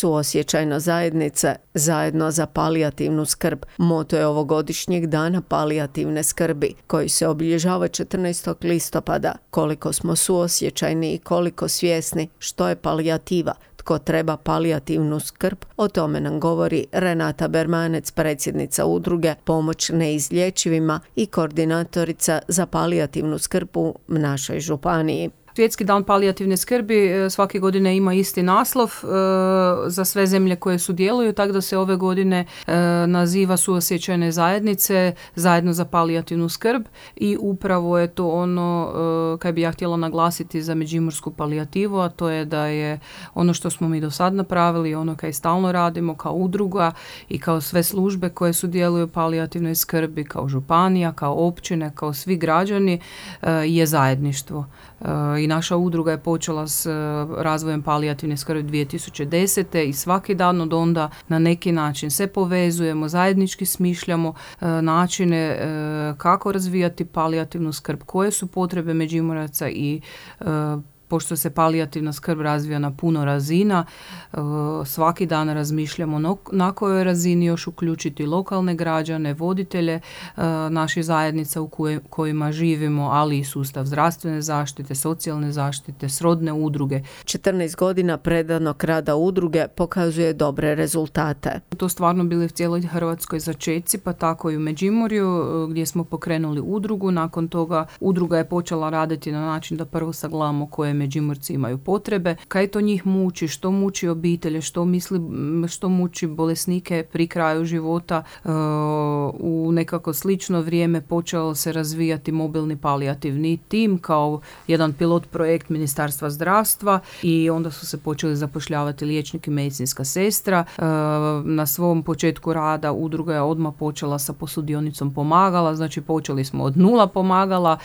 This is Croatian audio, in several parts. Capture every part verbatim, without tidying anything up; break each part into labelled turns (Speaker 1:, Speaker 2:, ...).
Speaker 1: Suosjećajna zajednica zajedno za palijativnu skrb moto je ovogodišnjeg dana palijativne skrbi koji se obilježava četrnaestog listopada. Koliko smo suosjećajni i koliko svjesni što je palijativa, tko treba palijativnu skrb, o tome nam govori Renata Bermanec, predsjednica udruge Pomoć neizlječivima i koordinatorica za palijativnu skrb u našoj županiji.
Speaker 2: Svjetski dan palijativne skrbi svake godine ima isti naslov e, za sve zemlje koje sudjeluju, tako da se ove godine e, naziva Suosjećajne zajednice zajedno za palijativnu skrb i upravo je to ono e, kaj bi ja htjela naglasiti za međimursku palijativu, a to je da je ono što smo mi do sad napravili, ono kaj stalno radimo kao udruga i kao sve službe koje sudjeluju u palijativnoj skrbi, kao županija, kao općine, kao svi građani, e, je zajedništvo. I naša udruga je počela s razvojem palijativne skrbi dvije tisuće desete. i svaki dan od onda na neki način se povezujemo, zajednički smišljamo načine kako razvijati palijativnu skrb, koje su potrebe Međimuraca i pošto se palijativna skrb razvija na puno razina, svaki dan razmišljamo na kojoj razini još uključiti lokalne građane, voditelje naših zajednica u kojima živimo, ali i sustav zdravstvene zaštite, socijalne zaštite, srodne udruge.
Speaker 1: četrnaest godina predanog rada udruge pokazuje dobre rezultate.
Speaker 2: To stvarno bili u cijeloj Hrvatskoj začeci, pa tako i u Međimurju gdje smo pokrenuli udrugu. Nakon toga udruga je počela raditi na način da prvo sagledamo koje Međimurci imaju potrebe, kaj to njih muči, što muči obitelje, što misli, što muči bolesnike pri kraju života. U nekako slično vrijeme počeo se razvijati mobilni palijativni tim kao jedan pilot projekt Ministarstva zdravstva i onda su se počeli zapošljavati liječnik i medicinska sestra. Na svom početku rada udruga je odmah počela sa posudionicom pomagala, znači počeli smo od nula pomagala.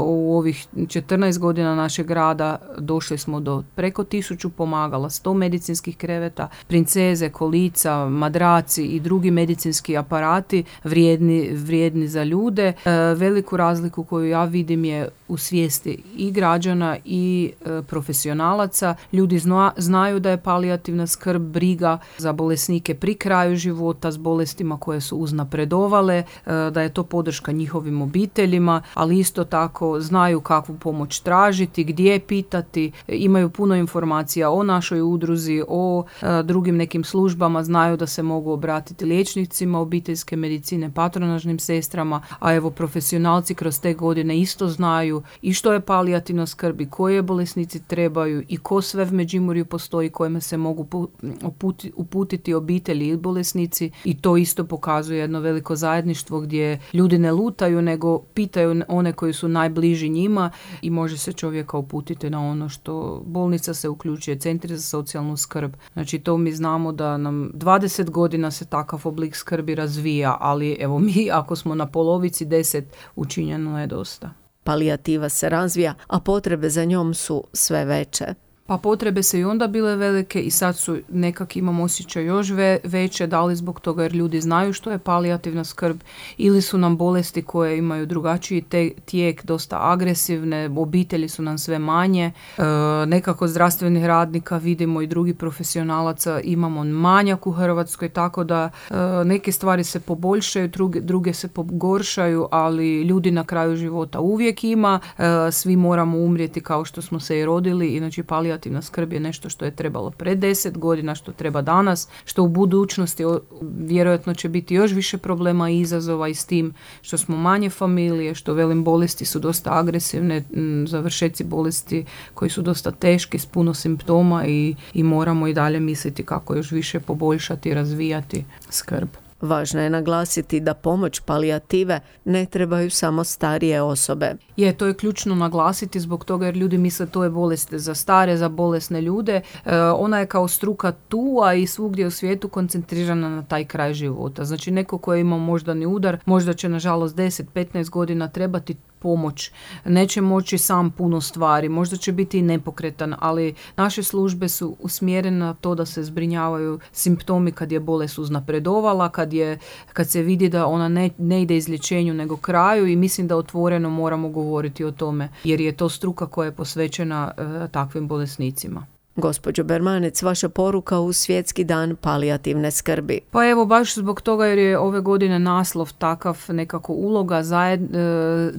Speaker 2: U ovih četrnaest godina našeg rada došli smo do preko tisuću pomagala, sto medicinskih kreveta, princeze, kolica, madraci i drugi medicinski aparati vrijedni, vrijedni za ljude. E, veliku razliku koju ja vidim je u svijesti i građana i e, profesionalaca. Ljudi zna, znaju da je palijativna skrb briga za bolesnike pri kraju života s bolestima koje su uznapredovale, e, da je to podrška njihovim obiteljima, ali isto tako znaju kakvu pomoć tražiti, gdje pitati, imaju puno informacija o našoj udruzi, o e, drugim nekim službama, znaju da se mogu obratiti liječnicima obiteljske medicine, patronažnim sestrama, a evo profesionalci kroz te godine isto znaju i što je palijativna skrb i koje bolesnici trebaju i ko sve v Međimurju postoji kojima se mogu uputi, uputiti obitelji i bolesnici i to isto pokazuje jedno veliko zajedništvo gdje ljudi ne lutaju nego pitaju one koji su najbliži njima i može se čovjeka uputiti na ono što bolnica se uključuje, centri za socijalnu skrb. Znači to mi znamo da nam dvadeset godina se takav oblik skrbi razvija, ali evo mi ako smo na polovici, deset učinjeno je dosta.
Speaker 1: Palijativa se razvija, a potrebe za njom su sve veće.
Speaker 2: Pa potrebe se i onda bile velike i sad su nekak imam osjećaj još ve, veće, da li zbog toga jer ljudi znaju što je palijativna skrb ili su nam bolesti koje imaju drugačiji te, tijek, dosta agresivne, obitelji su nam sve manje, e, nekako zdravstvenih radnika vidimo i drugi profesionalaca imamo manjak u Hrvatskoj, tako da e, neke stvari se poboljšaju, druge, druge se pogoršaju, ali ljudi na kraju života uvijek ima, e, svi moramo umrijeti kao što smo se i rodili i znači palijativna palijativna skrb je nešto što je trebalo pred deset godina, što treba danas, što u budućnosti vjerojatno će biti još više problema i izazova i s tim što smo manje familije, što velim bolesti su dosta agresivne, završeci bolesti koji su dosta teški s puno simptoma i, i moramo i dalje misliti kako još više poboljšati i razvijati skrb.
Speaker 1: Važno je naglasiti da pomoć palijative ne trebaju samo starije osobe.
Speaker 2: Je, to je ključno naglasiti zbog toga jer ljudi misle to je bolest za stare, za bolesne ljude. E, ona je kao struka tu, a i svugdje u svijetu koncentrirana na taj kraj života. Znači neko ko je imao moždani udar, možda će nažalost deset do petnaest godina trebati pomoć, neće moći sam puno stvari, možda će biti i nepokretan, ali naše službe su usmjerene na to da se zbrinjavaju simptomi kad je bolest uznapredovala, kad, je, kad se vidi da ona ne, ne ide izlječenju nego kraju i mislim da otvoreno moramo govoriti o tome jer je to struka koja je posvećena uh, takvim bolesnicima.
Speaker 1: Gospođo Bermanec, vaša poruka u Svjetski dan palijativne skrbi.
Speaker 2: Pa evo, baš zbog toga jer je ove godine naslov takav, nekako uloga zajed,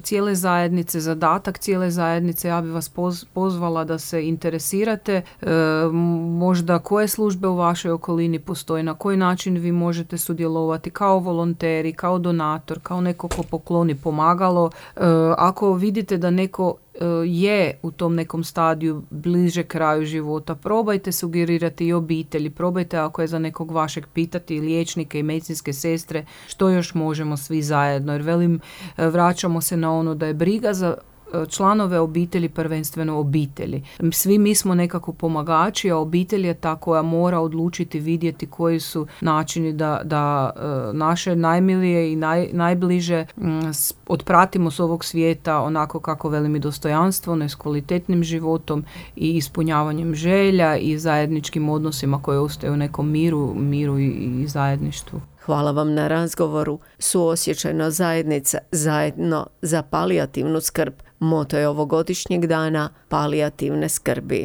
Speaker 2: cijele zajednice, zadatak cijele zajednice, ja bih vas pozvala da se interesirate, možda koje službe u vašoj okolini postoje, na koji način vi možete sudjelovati kao volonteri, kao donator, kao neko ko pokloni pomagalo. Ako vidite da neko je u tom nekom stadiju bliže kraju života, probajte sugerirati i obitelji, probajte ako je za nekog vašeg pitati liječnike i medicinske sestre što još možemo svi zajedno, jer velim, vraćamo se na ono da je briga za članove obitelji prvenstveno obitelji. Svi mi smo nekako pomagači, a obitelj je ta koja mora odlučiti, vidjeti koji su načini da, da naše najmilije i naj, najbliže otpratimo s ovog svijeta onako kako velim i dostojanstveno, s kvalitetnim životom i ispunjavanjem želja i zajedničkim odnosima koje ostaju u nekom miru, miru i, i zajedništvu.
Speaker 1: Hvala vam na razgovoru. Suosjećajna zajednica, zajedno za palijativnu skrb. Moto je ovogodišnjeg dana palijativne skrbi.